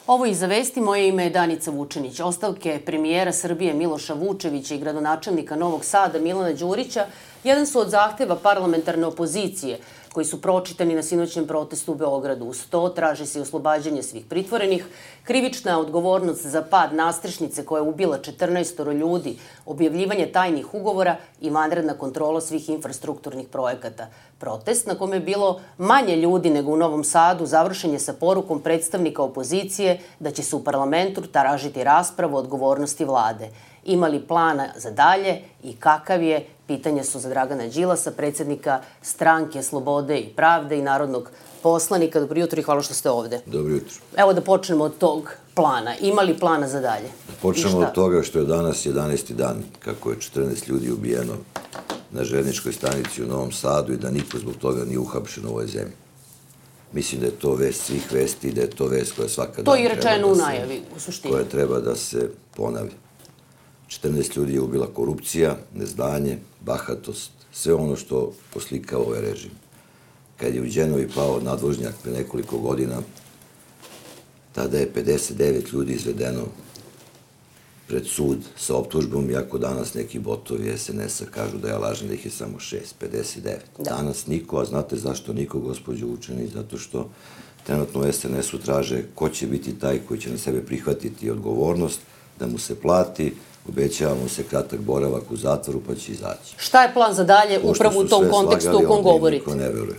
Ovo i za vesti, moje ime je Danica Vučinić. Ostavke premijera Srbije Miloša Vučevića i gradonačelnika Novog Sada Milana Đurića jedan su od zahteva parlamentarne opozicije koji su pročitani na sinoćnem protestu u Beogradu. Uz to traži se oslobađanje svih pritvorenih, krivična odgovornost za pad nastrešnice koja je ubila 14 ljudi, objavljivanje tajnih ugovora i vanredna kontrola svih infrastrukturnih projekata. Protest, na kome je bilo manje ljudi nego u Novom Sadu, završen je sa porukom predstavnika opozicije da će se u parlamentu tražiti raspravu o odgovornosti vlade. Ima li plana za dalje i kakav je? Pitanja su za Dragana Đilasa, predsjednika Stranke Slobode i Pravde i narodnog poslanika. Dobro jutro i hvala što ste ovde. Dobro jutro. Evo da počnemo od tog plana. Ima li plana za dalje? Počnemo od toga što je danas 11. dan kako je 14 ljudi ubijeno na željezničkoj stanici u Novom Sadu i da niko zbog toga nije uhapšen u ovoj zemlji. Mislim da je to vest svih vesti i da je to vest koja svaka dan to je i rečeno u najavi, u suštini. Koja treba da se ponavlja. 14 ljudi je ubila korupcija, neznanje, bahatost, sve ono što poslikava ovaj režim. Kad je u Đenovi pao nadvožnjak pre nekoliko godina, tada je 59 ljudi izvedeno pred sud sa optužbom, iako danas neki botovi SNS-a kažu da ja lažem da ih je samo 6, 59. Danas niko, a znate zašto niko, gospođo Vučinić? Zato što trenutno u SNS-u traže ko će biti taj koji će na sebe prihvatiti odgovornost, da mu se plati, obećava mu se kratak boravak u zatvoru pa će izaći. Šta je plan za dalje upravo u tom kontekstu u kom govorite?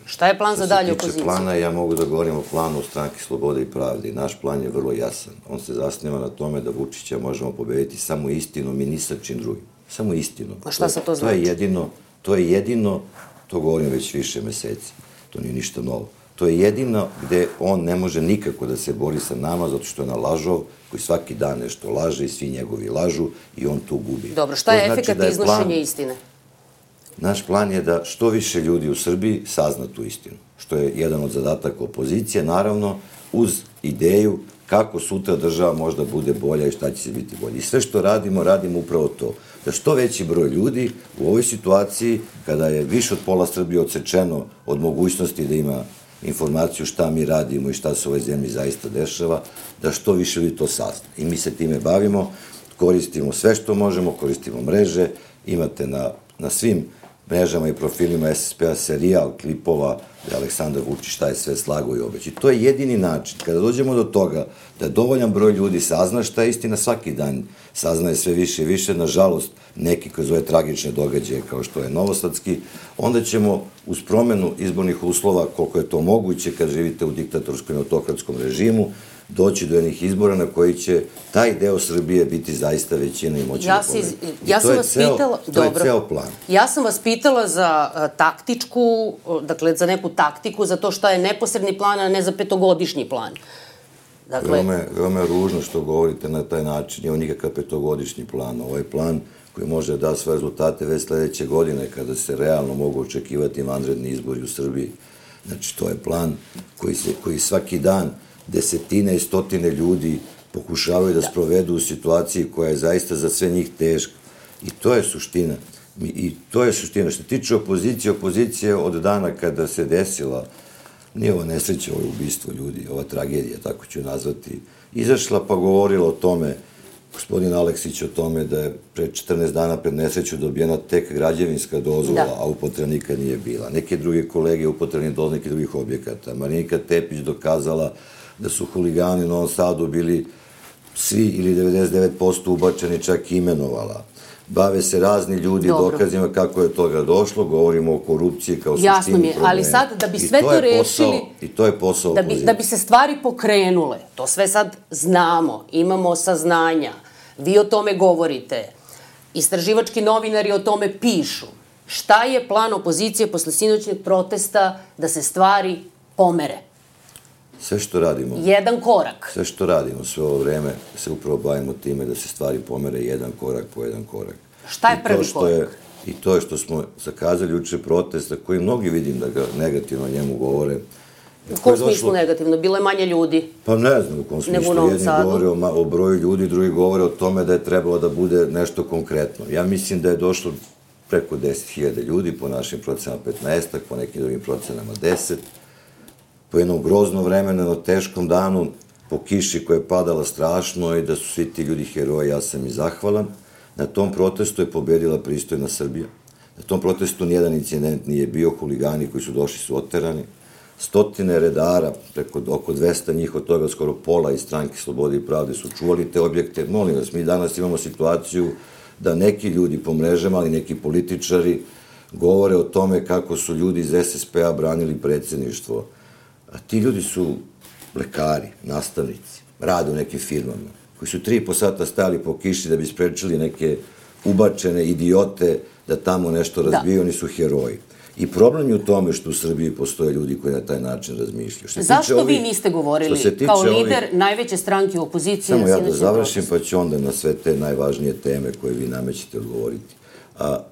Šta je plan za dalje opozicije? Što se tiče plana, ja mogu da govorim o planu Stranke Slobode i Pravde i naš plan je vrlo jasan. On se zasniva na tome da Vučića možemo pobediti samo istinom i ni sa čim drugim. Samo istinom. A šta se to znači? To je jedino, to govorim već više meseci. To nije ništa novo. To je jedino gde on ne može nikako da se bori sa nama, zato što je na lažov koji svaki dan nešto laže i svi njegovi lažu i on tu gubi. Dobro, šta je efekat iznošenja istine? Naš plan je da što više ljudi u Srbiji sazna tu istinu, što je jedan od zadataka opozicije, naravno, uz ideju kako sutra država možda bude bolja i šta će se biti bolje. I sve što radimo, radimo upravo to. Da što veći broj ljudi u ovoj situaciji, kada je više od pola Srbije odsečeno od mogućnosti da ima informaciju šta mi radimo i šta se u ovoj zemlji zaista dešava, da što više ljudi to sazna. I mi se time bavimo, koristimo sve što možemo, koristimo mreže, imate na svim mrežama i profilima SSP-a serijal klipova da je Aleksandar Vučić šta je sve slagao i obećao. I to je jedini način. Kada dođemo do toga da dovoljan broj ljudi sazna šta je istina, svaki dan saznaje sve više i više, nažalost, neki kroz ove tragične događaje kao što je novosadski, onda ćemo uz promenu izbornih uslova, koliko je to moguće kad živite u diktatorskom i autokratskom režimu, doći do jednih izbora na koji će taj deo Srbije biti zaista većina i moći da pobedi. Ja sam vas pitala... To je ceo plan. Ja sam vas pitala za taktičku, dakle za neku taktiku, za to šta je neposredni plan, a ne za petogodišnji plan. Veoma je ružno što govorite na taj način. Nije nikakav petogodišnji plan. Ovaj plan koji može da da svoje rezultate već sledeće godine, kada se realno mogu očekivati vanredni izbori u Srbiji. Znači, to je plan koji svaki dan desetine i stotine ljudi pokušavaju da sprovedu u situaciji koja je zaista za sve njih teška. I to je suština. Što se tiče opozicije, opozicija od dana kada se desila, nije ova nesreća, ovo ubistvo ljudi, ova tragedija, tako ću nazvati, izašla pa govorila o tome, gospodin Aleksić o tome da je pre 14 dana pred nesreću dobijena tek građevinska dozvola, a upotreba nikad nije bila. Neke druge kolege upotrebni dozvole nekih drugih objekata. Marinika Tepić dokazala da su huligani u Novom Sadu bili svi ili 99% ubačeni, čak i imenovala. Bave se razni ljudi dokazima kako je toga došlo, govorimo o korupciji kao suštini problema. Jasno mi je, ali sad da bi sve to rešili... I to je posao opozicije. Da bi se stvari pokrenule, to sve sad znamo, imamo saznanja, vi o tome govorite, istraživački novinari o tome pišu. Šta je plan opozicije posle sinoćnog protesta da se stvari pomere? Sve što radimo... Jedan korak. Sve što radimo sve ovo vreme se upravo bavimo time da se stvari pomere jedan korak po jedan korak. Šta je prvi korak? I to je što smo zakazali juče protesta, koji mnogi vidim da ga negativno o njemu govore. U kom smislu negativno? Bilo je manje ljudi? Pa ne znam u kom smislu. Jedni govore o broju ljudi, drugi govore o tome da je trebalo da bude nešto konkretno. Ja mislim da je došlo preko 10.000 ljudi, po našim procenama 15, po nekim drugim procenama 10. Po jednom groznom vremenu, na teškom danu, po kiši koja je padala strašno i da su svi ti ljudi heroji, ja sam i zahvalan. Na tom protestu je pobedila pristojna Srbija. Na tom protestu nijedan incident nije bio, huligani koji su došli su oterani. Stotine redara, preko oko 200 njih, od toga skoro pola iz Stranke Slobode i pravde su čuvali te objekte. Molim vas, mi danas imamo situaciju da neki ljudi po mrežama, ali neki političari govore o tome kako su ljudi iz SSP-a branili predsjedništvo. A ti ljudi su lekari, nastavnici, rade u nekim firmama, koji su 3,5 sata stajali po kiši da bi sprečili neke ubačene idiote da tamo nešto razbiju, oni su heroji. I problem je u tome što u Srbiji postoje ljudi koji na taj način razmišljaju. Zašto vi niste govorili kao lider najveće stranke u opoziciji? Samo ja da završim, pa ću onda na sve te najvažnije teme koje vi namećete odgovoriti.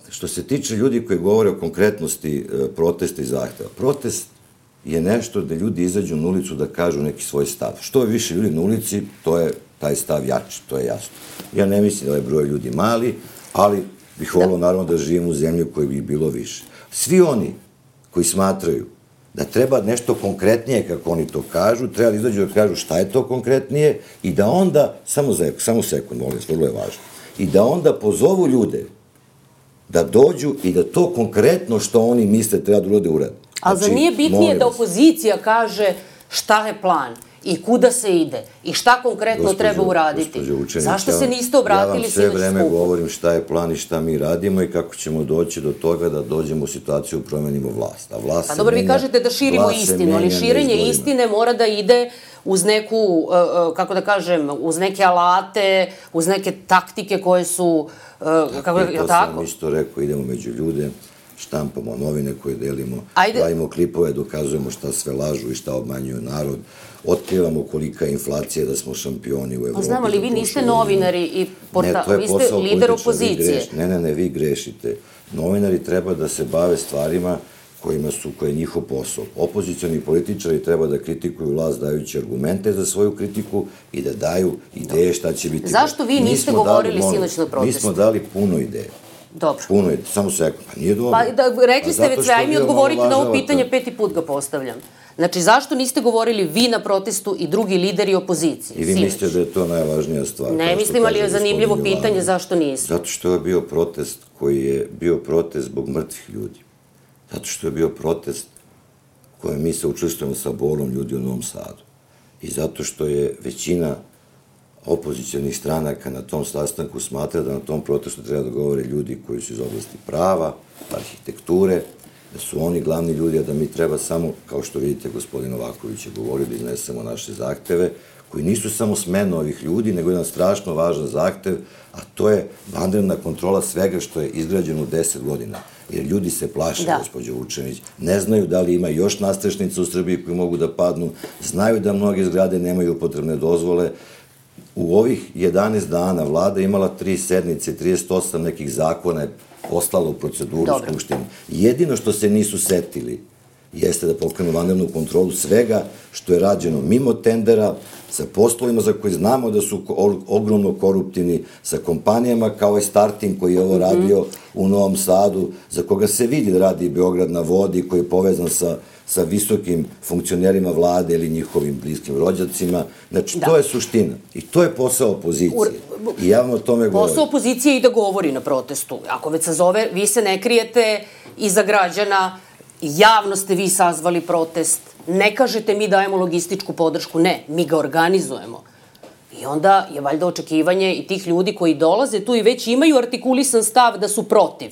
Što se tiče ljudi koji govore o konkretnosti protesta i zahteva, protest je nešto da ljudi izađu na ulicu da kažu neki svoj stav. Što je više ljudi na ulici, to je taj stav jači, to je jasno. Ja ne mislim da je broj ljudi mali, ali bih volio naravno da živim u zemlji u kojoj bi bilo više. Svi oni koji smatraju da treba nešto konkretnije, kako oni to kažu, treba da izađu da kažu šta je to konkretnije i da onda, samo sekund, molim, vrlo je važno, i da onda pozovu ljude da dođu i da to konkretno što oni misle treba da urade. Ali za nije bitnije da opozicija kaže šta je plan i kuda se ide i šta konkretno treba uraditi? Zašto se niste obratili sinoć skupu? Ja vam sve vreme govorim šta je plan i šta mi radimo i kako ćemo doći do toga da dođemo u situaciju promenimo vlast. Pa dobro, vi kažete da širimo istinu, ali širenje istine mora da ide uz neku, kako da kažem, uz neke alate, uz neke taktike koje su, kako da, to sam isto rekao, idemo među ljude, štampamo novine koje delimo, pravimo klipove, dokazujemo šta sve lažu i šta obmanjuju narod, otkrivamo kolika je inflacija, da smo šampioni u Evropi. Znam, ali vi niste novinari i vi ste lider opozicije. Ne, vi grešite. Novinari treba da se bave stvarima koje je njihov posao. Opozicioni političari treba da kritikuju vlast dajući argumente za svoju kritiku i da daju ideje šta će biti. Zašto vi niste govorili sinoć na protestu? Mi smo dali puno ideje. Dobro. Puno ideje, samo sekund, pa nije dobro. Pa rekli ste već sve, aj mi odgovorite na ovo pitanje, 5. put ga postavljam. Znači, zašto niste govorili vi na protestu i drugi lideri opozicije? I vi mislite da je to najvažnija stvar? Ne mislim, ali je zanimljivo pitanje zašto niste. Zato što je bio protest koji je bio protest zbog mrtvih ljudi. Zato što je bio protest kojem mi se učestvujemo sa bolom ljudi u Novom Sadu. I zato što je većina opozicionih stranaka na tom sastanku smatra da na tom protestu treba da govore ljudi koji su iz oblasti prava, arhitekture, da su oni glavni ljudi, a da mi treba samo, kao što vidite, gospodin Novaković je govorio, da iznesemo naše zahteve, koji nisu samo smena ovih ljudi, nego jedan strašno važan zahtev, a to je vanredna kontrola svega što je izgrađeno u 10 godina. Jer ljudi se plaše, gospođo Vučenić, ne znaju da li ima još nastrešnica u Srbiji koji mogu da padnu, znaju da mnoge zgrade nemaju upotrebne dozvole. U ovih 11 dana vlada imala 3 sednice, 38 nekih zakona je poslala u proceduru u Skupštini. Jedino što se nisu setili jeste da pokrenu vanrednu kontrolu svega što je rađeno mimo tendera, sa poslovima za koje znamo da su ogromno koruptivni, sa kompanijama kao je Starting koji je ovo radio u Novom Sadu, za koga se vidi da radi Beograd na vodi, koji je povezan sa visokim funkcionerima vlade ili njihovim bliskim rođacima. Znači, to je suština. I to je posao opozicije. I ja vam o tome govorim. Posao opozicije je i da govori na protestu. Ako već se zove, vi se ne krijete iza građana, javno ste vi sazvali protest, ne kažete mi dajemo logističku podršku, ne, mi ga organizujemo. I onda je valjda očekivanje i tih ljudi koji dolaze tu i već imaju artikulisan stav da su protiv.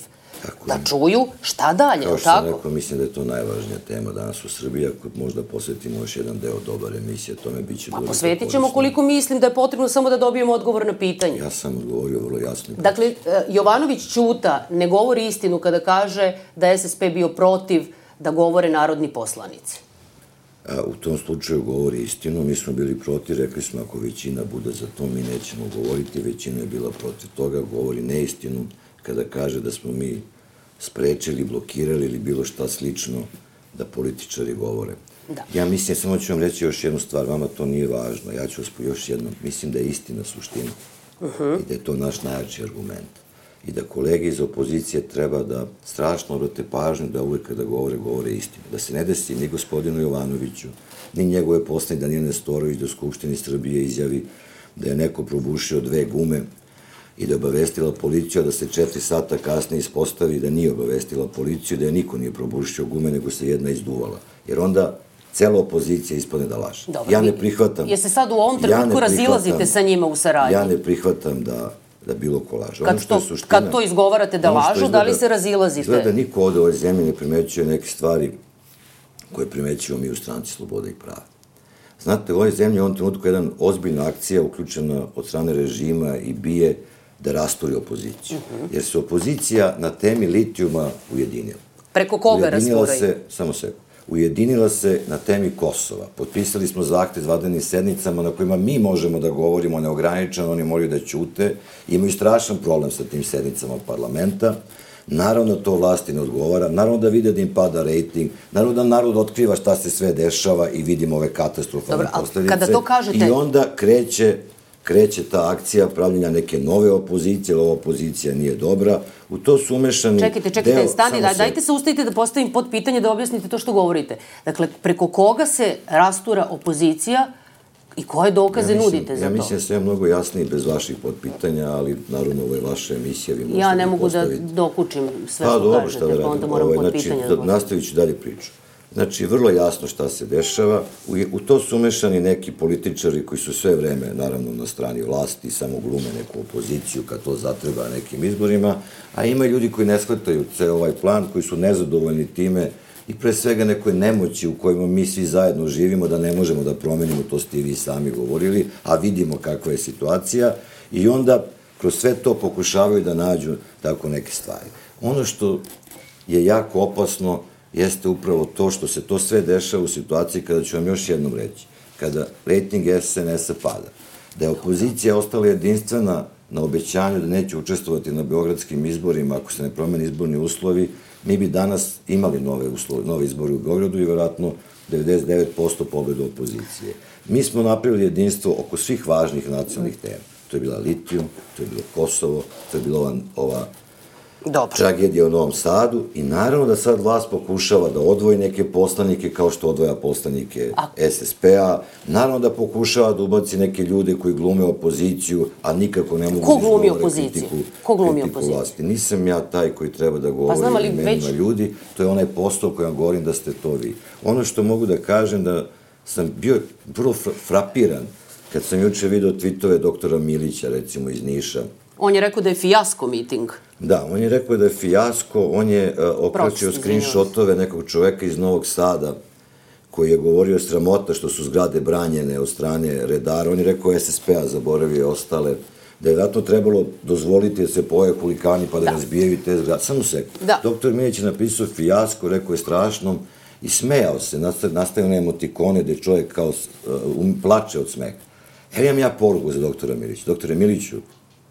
Da čuju šta dalje, tako? Kao što sam rekao, mislim da je to najvažnija tema danas u Srbiji. Ako možda posvetimo još jedan deo dobar emisije, tome bit će dovoljno. Pa posvetit ćemo koliko mislim da je potrebno samo da dobijemo odgovor na pitanje. Ja sam odgovorio vrlo jasno. Dakle, Jovanović Ćuta ne govori istinu kada kaže da je SSP bio protiv da govore narodni poslanici. U tom slučaju govori istinu. Mi smo bili protiv, rekli smo ako većina bude za to, mi nećemo govoriti. Većina je bila protiv toga, govori neistinu kada kaže da smo mi sprečili, blokirali ili bilo šta slično da političari govore. Ja mislim, samo ću vam reći još jednu stvar, vama to nije važno, ja ću vas još jednom, mislim da je istina suština i da je to naš najjači argument. i da kolege iz opozicije treba da strašno obrate pažnju da uvek kada govore istinu. Da se ne desi ni gospodinu Jovanoviću, ni njegove poslanike Danijel Nestorović do Skupštine Srbije izjavi da je neko probušio 2 gume i da je obavestila policiju, a da se 4 sata kasnije ispostavi da nije obavestila policiju, da je niko nije probušio gume, nego se jedna izduvala. Jer onda cela opozicija ispane da laže. Ja ne prihvatam. Jer se sad u ovom trenutku razilazite sa njima u saradnji? Ja ne prihvatam da bilo ko laže. Kad to izgovarate da lažu, da li se razilazite? Izgleda da niko ovde u ovoj zemlji ne primećuje neke stvari koje primećujemo mi u Stranci slobode i prava. Znate, u ovoj zemlji u ovom trenutku je jedna ozbiljna akcija uključena od strane režima i BIA da rasturi opoziciju. Jer se opozicija na temi litijuma ujedinila. Preko koga rasturaju? Samo sekund. Ujedinila se na temi Kosova. Potpisali smo zahtev s vanrednim sednicama na kojima mi možemo da govorimo neograničeno, oni moraju da ćute. Imaju strašan problem sa tim sednicama parlamenta. Naravno to vlasti ne odgovara, naravno da vide da im pada rejting, naravno da narod otkriva šta se sve dešava i vidimo ove katastrofalne posledice. I onda kreće ta akcija pravljenja neke nove opozicije, jer ova opozicija nije dobra. U to su umešani... Čekajte, stani, dajte se ustavite da postavim pod pitanje da objasnite to što govorite. Dakle, preko koga se rastura opozicija i koje dokaze nudite za to? Ja mislim da sam mnogo jasniji bez vaših podpitanja, ali naravno ovo je vaša emisija. Ja ne mogu da dokučim sve što kažete, pa onda moram pod pitanja da postavim. Nastavit ću dalje priču. Znači, vrlo jasno šta se dešava. U to su umešani neki političari koji su sve vreme, naravno, na strani vlasti, samo glume neku opoziciju kad to zatreba nekim izborima, a ima ljudi koji ne shvataju ceo ovaj plan, koji su nezadovoljni time i pre svega nekoj nemoći u kojima mi svi zajedno živimo, da ne možemo da promenimo, to ste i vi sami govorili, a vidimo kakva je situacija i onda kroz sve to pokušavaju da nađu tako neke stvari. Ono što je jako opasno jeste upravo to što se to sve dešava u situaciji kada ću vam još jednom reći, kada rejting SNS-a pada, da je opozicija ostala jedinstvena na obećanju da neće učestvovati na beogradskim izborima ako se ne promene izborni uslovi, mi bi danas imali nove izbore u Beogradu i vjerojatno 99% pobedu opozicije. Mi smo napravili jedinstvo oko svih važnih nacionalnih tema. To je bila litijum, to je bilo Kosovo, to je bila ova tragedija u Novom Sadu i naravno da sad vlast pokušava da odvoji neke poslanike kao što odvoja poslanike SSP-a, naravno da pokušava da ubaci neke ljude koji glume opoziciju, a nikako ne mogu da izgovore kritiku vlasti. Nisam ja taj koji treba da govori o imenima ljudi, to je onaj posao koji vam govorim da ste to vi. Ono što mogu da kažem da sam bio vrlo frapiran kad sam juče video tweetove doktora Milića, recimo iz Niša. On je rekao da je fijasko miting. Da, on je rekao da je fijasko, on je okračio screenshotove nekog čoveka iz Novog Sada koji je govorio sramota što su zgrade branjene od strane redara. On je rekao SSP-a, zaboravio ostale, da je vratno trebalo dozvoliti da se pojave huligani pa da razbijaju te zgrade. Samo sekund. Doktor Milić je napisao fijasko, rekao je strašno i smejao se, nastavio na emotikone gde čovjek kao plače od smeha. Evo imam ja poruku za doktora Milića. Doktore Miliću,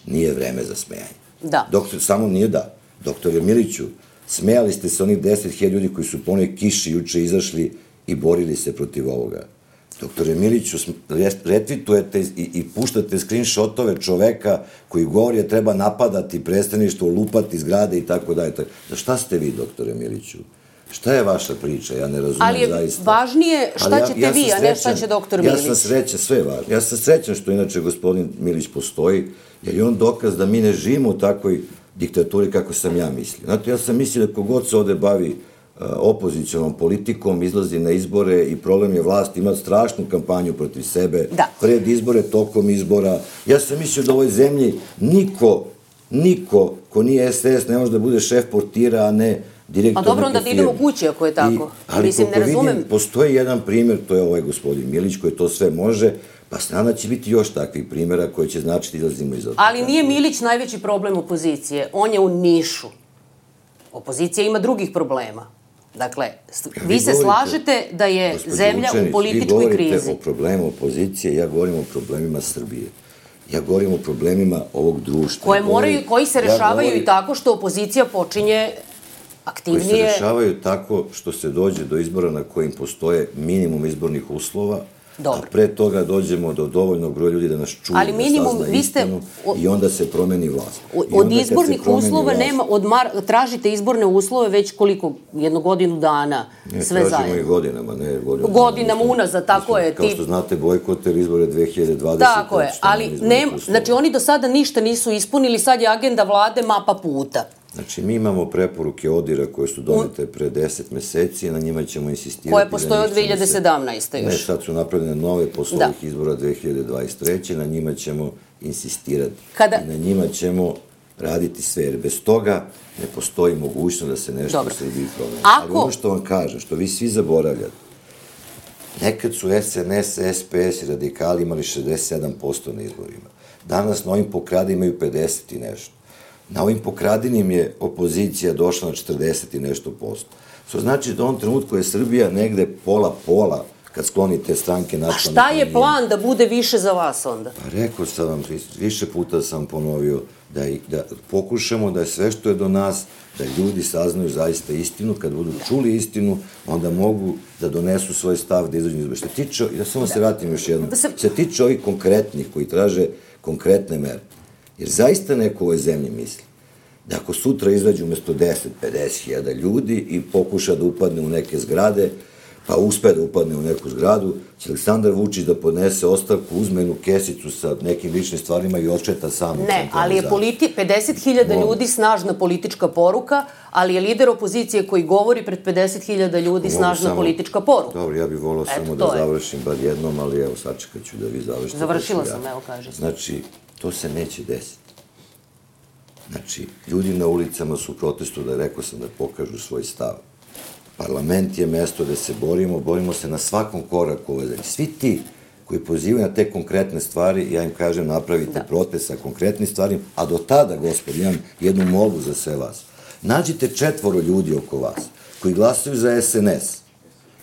nije vreme za smejanje. Da. Samo nije da. Doktore Miliću, smejali ste se onih 10.000 ljudi koji su po onoj kiši juče izašli i borili se protiv ovoga. Doktore Miliću, retvitujete i puštate screenshotove čoveka koji govori da treba napadati predstavništvo, lupati zgrade i tako dalje. Za šta ste vi, doktore Miliću? Šta je vaša priča? Ja ne razumem zaista. Ali je važnije šta ćete vi, a ne šta će doktor Milić. Ja sam srećan, sve je važno. Ja sam srećan što inače gospodin Milić postoji, jer je on dokaz da mi ne živimo u takvoj diktaturi kako sam ja mislio. Znate, ja sam mislio da kogod se ovde bavi opozicionom politikom, izlazi na izbore i problem je vlast, ima strašnu kampanju protiv sebe, pred izbore, tokom izbora. Ja sam mislio da u ovoj zemlji niko ko nije SDS ne može da bude šef portira, a ne direktor neke firme. Pa dobro, onda da idemo kući ako je tako. Ali koliko vidim, postoji jedan primjer, to je ovaj gospodin Milić koji to sve može, pa strana će biti još takvih primjera koji će značiti da izlazimo iz ovoga. Ali nije Milić najveći problem opozicije, on je u Nišu. Opozicija ima drugih problema. Dakle, vi se slažete da je zemlja u političkoj krizi. Vi govorite o problemu opozicije, ja govorim o problemima Srbije. Ja govorim o problemima ovog društva. Koji se rešavaju i tako što opozicija počinje aktivnije... Koji se rešavaju tako što se dođe do izbora na kojim postoje minimum izbornih uslova, Dobro. A pre toga dođemo do dovoljnog broja ljudi da nas čuje, Ali minimum, da sazna vi ste- istinu i onda se promeni vlast. Od izbornih uslova nema, tražite izborne uslove već koliko, 1 godinu dana, sve Tražimo zajedno. i godinama, ne Godinama unazad, tako je. Kao što znate, bojkoter izbore 2020. Tako je, ali znači oni do sada ništa nisu ispunili, sad je agenda vlade mapa puta. Znači, mi imamo preporuke ODIR-a koje su donete pre 10 meseci, na njima ćemo insistirati. Koje postoje od 2017. još. Ne, sad su napravljene nove posle ovih izbora 2023. Na njima ćemo insistirati. I na njima ćemo raditi sve, jer bez toga ne postoji mogućnost da se nešto u Srbiji promeni. Ali ono što vam kažem, što vi svi zaboravljate, nekad su SNS, SPS i radikali imali 67% na izborima. Danas na ovim pokrade imaju 50 i nešto. Na ovim pokradinim je opozicija došla na 40 i nešto posto. Što znači da u ovom trenutku je Srbija negde pola-pola kad sklonite stranke nacionalne manjine. A šta je plan da bude više za vas onda? Pa rekao sam vam, više puta sam ponovio da pokušamo da sve što je do nas, da ljudi saznaju zaista istinu. Kad budu čuli istinu, onda mogu da donesu svoj stav, da izađu izbore. Što tiče, i da samo se vratim još jednom, se tiče ovih konkretnih koji traže konkretne mere. Jer zaista neko u ovoj zemlji misli da ako sutra izađu umesto 10-50 hiljada ljudi i pokuša da upadne u neke zgrade, pa uspe da upadne u neku zgradu, će Aleksandar Vučić da podnese ostavku, uzme jednu kesicu sa nekim ličnim stvarima i odšeta sam. Ne, ali je 50.000 ljudi snažna politička poruka, ali je lider opozicije koji govori pred 50.000 ljudi snažna politička poruka. Dobro, ja bih volao samo da završim bar jednom, ali evo, sačekat ću da vi završite. Završila sam, evo kažete. Znači, to se neće desiti. Znači, ljudi na ulicama su u protestu, da rekao sam, da pokažu svoj stav. Parlament je mesto gde se borimo se na svakom koraku ove zemlje. Svi ti koji pozivaju na te konkretne stvari, ja im kažem, napravite protest sa konkretnim stvarima, a do tada, gospod, imam jednu molbu za sve vas. Nađite 4 ljudi oko vas koji glasaju za SNS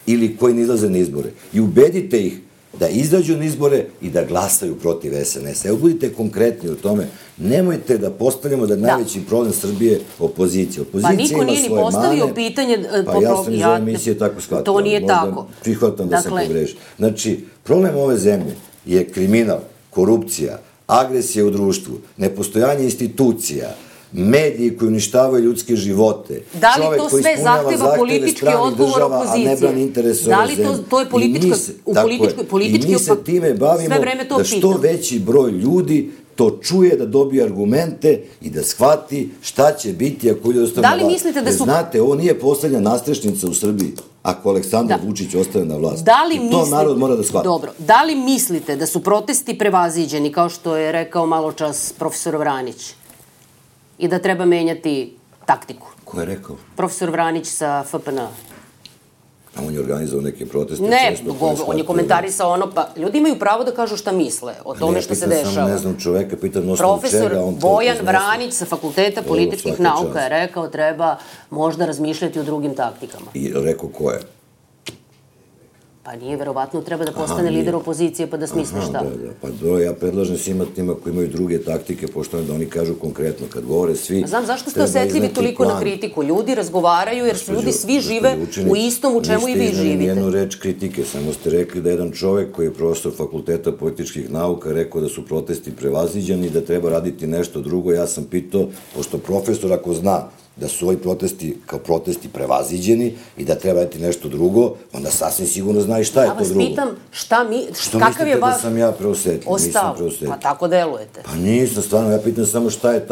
ili koji ne izlaze na izbore i ubedite ih da izađu na izbore i da glasaju protiv SNS. Evo, budite konkretni u tome. Nemojte da postavljamo da je najveći problem Srbije opozicija. Pa niko nije ni postavio pitanje... Pa ja sam iz ove emisije tako shvatio. To nije tako. Prihvatam da sam pogrešio. Znači, problem ove zemlje je kriminal, korupcija, agresija u društvu, nepostojanje institucija, mediji koji uništavaju ljudske živote, čovek koji ispunjava zahteve stranih država, a ne brani interese ove zemlje. Da li to je politički... I mi se time bavimo da što veći broj ljudi to čuje, da dobije argumente i da shvati šta će biti ako ljudi ostane na vlast. Jer znate, ovo nije poslednja nastrešnica u Srbiji ako Aleksandar Vučić ostane na vlast. I to narod mora da shvati. Dobro, da li mislite da su protesti prevaziđeni, kao što je rekao malo čas profesor Vranić, i da treba menjati taktiku? Ko je rekao? Profesor Vranić sa FPN. A on je organizovao neke proteste. Ne, on je komentarisao ono, pa ljudi imaju pravo da kažu šta misle o tome što se dešava. Ne znam čoveka, pitam na osnovu čega. Profesor Bojan Vranić sa Fakulteta političkih nauka je rekao treba možda razmišljati o drugim taktikama. I rekao ko je? Pa nije, verovatno treba da postane lider opozicije pa da smisli šta. Pa dobro, ja predlažem svima tima koji imaju druge taktike, pošto da oni kažu konkretno, kad govore svi... Znam, zašto ste osetljivi toliko na kritiku? Ljudi razgovaraju jer ljudi svi žive u istom u čemu i vi živite. Niste jednu reč kritike, samo ste rekli da jedan čovek koji je profesor Fakulteta političkih nauka rekao da su protesti prevaziđeni i da treba raditi nešto drugo. Ja sam pitao, pošto profesor ako zna da su ovi protesti kao protesti prevaziđeni i da treba raditi nešto drugo, onda sasvim sigurno zna i šta je to drugo. Ja vas pitam kakav je mislite da sam ja preosetljiv? Nisam preosetljiv. Pa tako delujete. Pa nisam, stvarno, ja pitam samo šta je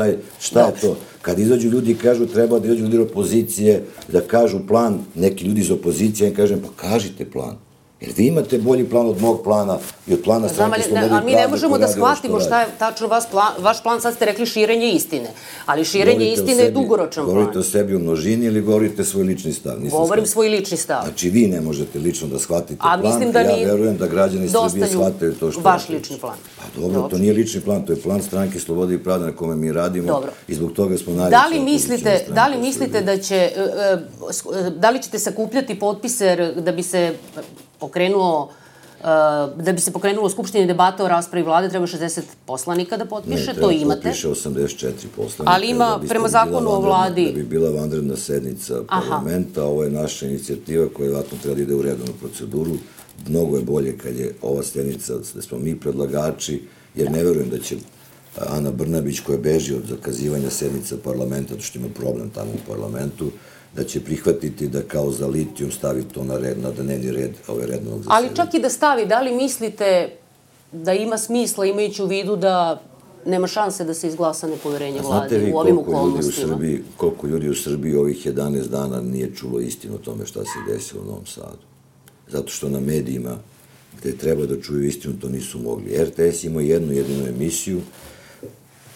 to. Kad izađu ljudi i kažu treba da izađu ljudi opozicije, da kažu plan, neki ljudi iz opozicije, ja im kažem pa kažite plan. Jer vi imate bolji plan od mog plana i od plana Stranke slobode i pravde. A mi ne možemo da shvatimo šta je tačno vaš plan, sad ste rekli širenje istine. Ali širenje istine je dugoročan plan. Govorite o sebi u množini ili govorite svoj lični stav? Govorim svoj lični stav. Znači vi ne možete lično da shvatite plan, ja verujem da građani Srbije shvataju to što... Vaš lični plan. Pa dobro, to nije lični plan, to je plan Stranke slobode i pravde na kome mi radimo i zbog toga smo najveća opozicijna stranka. Da li mislite da li ćete sakupljati potpise da bi se pokrenulo skupštini debata o raspravi vlade, treba 60 poslanika da potpiše, to imate. Ne, treba potpiše 84 poslanika. Ali ima, prema zakonu o vladi... Da bi bila vanredna sednica parlamenta, ovo je naša inicijativa koja vjerojatno treba da ide u redovnu proceduru, Mnogo je bolje kad je ova sjednica, da smo mi predlagači, jer ne verujem da će Ana Brnabić, koja beži od zakazivanja sednica parlamenta, što ima problem tamo u parlamentu, da će prihvatiti da kao za litijum stavi to na dnevni red rednog zasedanja. Ali čak i da stavi, da li mislite da ima smisla, imajući u vidu da nema šanse da se izglasa nepoverenje vladi u ovim okolnostima? Znate vi koliko ljudi u Srbiji ovih 11 dana nije čulo istinu o tome šta se desilo u Novom Sadu? Zato što na medijima gde treba da čuju istinu, to nisu mogli. RTS ima jednu jedinu emisiju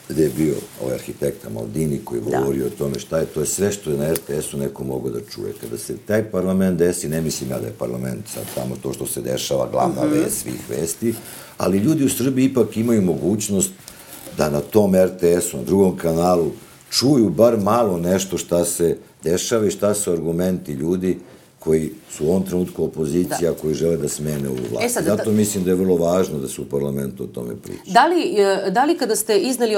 gde je bio ovaj arhitekta Maldini koji govorio o tome šta je, to je sve što je na RTS-u neko mogao da čuje. Kada se taj parlament desi, ne mislim ja da je parlament sad tamo to što se dešava, glavna vest svih vesti, ali ljudi u Srbiji ipak imaju mogućnost da na tom RTS-u, na drugom kanalu, čuju bar malo nešto šta se dešava i šta su argumenti ljudi koji su u ovom trenutku opozicija, koji žele da smene ovu vlast. Zato mislim da je vrlo važno da se u parlamentu o tome priča. Da li kada ste izneli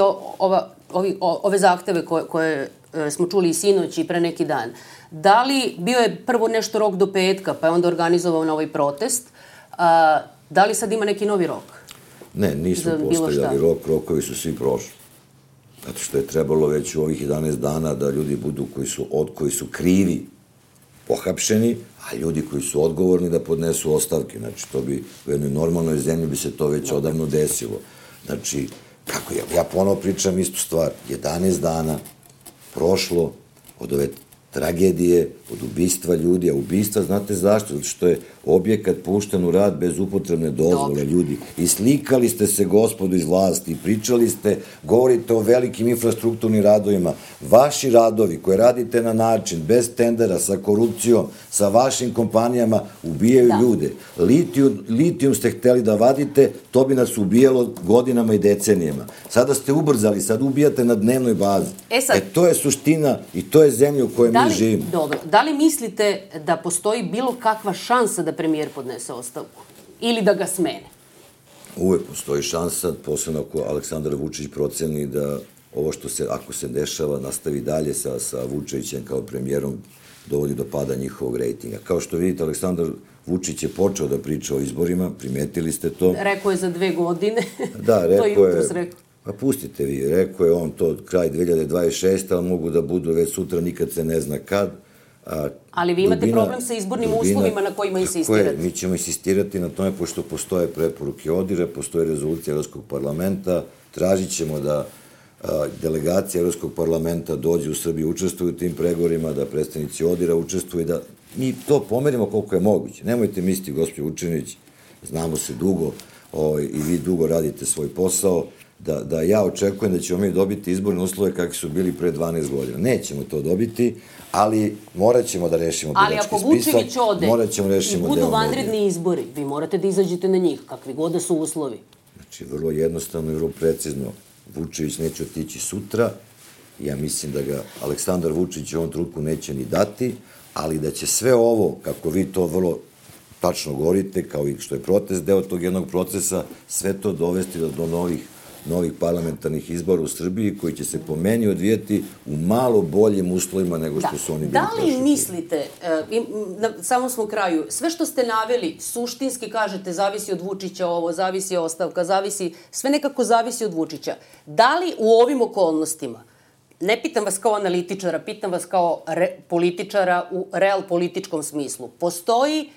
ove zahteve koje smo čuli i sinoć i pre neki dan, da li bio je prvo nešto rok do petka, pa je onda organizovao novi protest, da li sad ima neki novi rok? Ne, nismo postavljali rok, rokovi su svi prošli. Zato što je trebalo već u ovih 11 dana da ljudi budu koji su krivi pohapšeni, a ljudi koji su odgovorni da podnesu ostavke. Znači, to bi u jednoj normalnoj zemlji bi se to već odavno desilo. Znači, kako ja ponovo pričam istu stvar. 11 dana prošlo od ove tragedije, od ubistva ljudi, a ubistva, znate zašto? Zato što je objekat pušten u rad bez upotrebne dozvole, ljudi. I slikali ste se, gospodu iz vlasti, i pričali ste, govorite o velikim infrastrukturnim radovima. Vaši radovi koje radite na način, bez tendera, sa korupcijom, sa vašim kompanijama, ubijaju ljude. Litijum ste hteli da vadite, to bi nas ubijalo godinama i decenijama. Sada ste ubrzali, sad ubijate na dnevnoj bazi. To je suština i to je zemlja u kojoj mi živimo. Dobro, da li mislite da postoji bilo kakva šansa da premijer podnese ostavku? Ili da ga smene? Uvek postoji šansa, posebno ako Aleksandar Vučić proceni da ovo što se, ako se dešava, nastavi dalje sa Vučevićem kao premijerom, dovodi do pada njihovog rejtinga. Kao što vidite, Aleksandar Vučić je počeo da priča o izborima, primetili ste to. Rekao je za 2 godine. Da, rekao je. Pa pustite vi, rekao je on to kraj 2026. ali mogu da budu već sutra, nikad se ne zna kad. Ali vi imate problem sa izbornim uslovima na kojima insistirate. Mi ćemo insistirati na tome, pošto postoje preporuke ODIHR-a, postoje rezolucija Evropskog parlamenta, tražit ćemo da delegacija Evropskog parlamenta dođe u Srbiju, učestvuju u tim pregovorima, da predstavnici ODIHR-a učestvuju, da mi to pomerimo koliko je moguće. Nemojte misliti, gospođo Vučinić, znamo se dugo i vi dugo radite svoj posao, da ja očekujem da ćemo mi dobiti izborne uslove kakvi su bili pre 12 godina. Nećemo to dobiti, ali morat ćemo da rešimo birački spisak. Ali ako Vučević ode i budu vanredni izbori, vi morate da izađete na njih, kakvi god da su uslovi. Znači, vrlo jednostavno i vrlo precizno. Vučević neće otići sutra. Ja mislim da ga Aleksandar Vučić u ovom trenutku neće ni dati, ali da će sve ovo, kako vi to vrlo tačno govorite, kao i što je protest deo tog jednog procesa, sve to dovesti do novih parlamentarnih izbora u Srbiji, koji će se po meni odvijeti u malo boljim uslovima nego što su oni bili prošli. Da li mislite, na samom smo kraju, sve što ste naveli, suštinski kažete, zavisi od Vučića ovo, zavisi ostavka, sve nekako zavisi od Vučića. Da li u ovim okolnostima, ne pitam vas kao analitičara, pitam vas kao političara u real političkom smislu, postoji,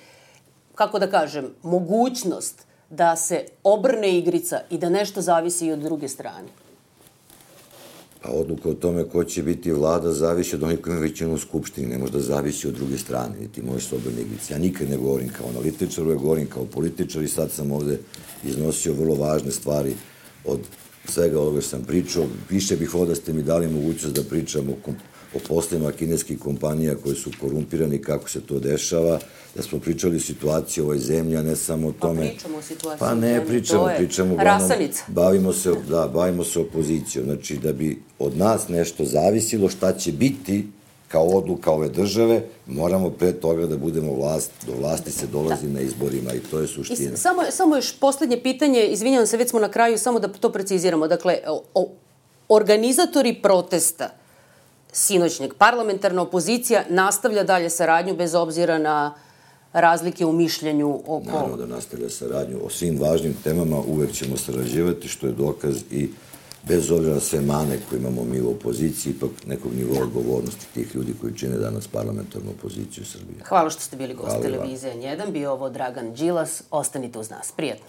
kako da kažem, mogućnost da se obrne igrica i da nešto zavisi i od druge strane? Pa odluka o tome ko će biti vlada zavisi od onih koji imaju većinu u Skupštini, ne može da zavisi od druge strane, niti može se obrne igrice. Ja nikad ne govorim kao analitičar, uvek govorim kao političar i sad sam ovde iznosio vrlo važne stvari od svega ovoga što sam pričao. Više bih volio da ste mi dali mogućnost da pričam o poslovima kineskih kompanija koji su korumpirani, kako se to dešava, da smo pričali o situaciji u ovoj zemlji, a ne samo o tome. Pa pričamo o situaciji. Pa ne pričamo. Rasanica. Bavimo se opozicijom. Znači, da bi od nas nešto zavisilo šta će biti kao odluka ove države, moramo pre toga da budemo vlast. Do vlasti se dolazi na izborima i to je suština. Samo još poslednje pitanje, izvinjavam se, već smo na kraju, samo da to preciziramo. Dakle, organizatori protesta sinoćnjeg, parlamentarna opozicija nastavlja dalje saradnju bez obzira na razlike u mišljenju oko... Naravno da nastavlja saradnju. O svim važnim temama uvek ćemo sarađivati, što je dokaz i bez obzira na sve mane koje imamo mi u opoziciji, ipak nekog nivoa odgovornosti tih ljudi koji čine danas parlamentarnu opoziciju Srbije. Hvala što ste bili gost televizije N1. Bio ovo Dragan Đilas. Ostanite uz nas. Prijetno.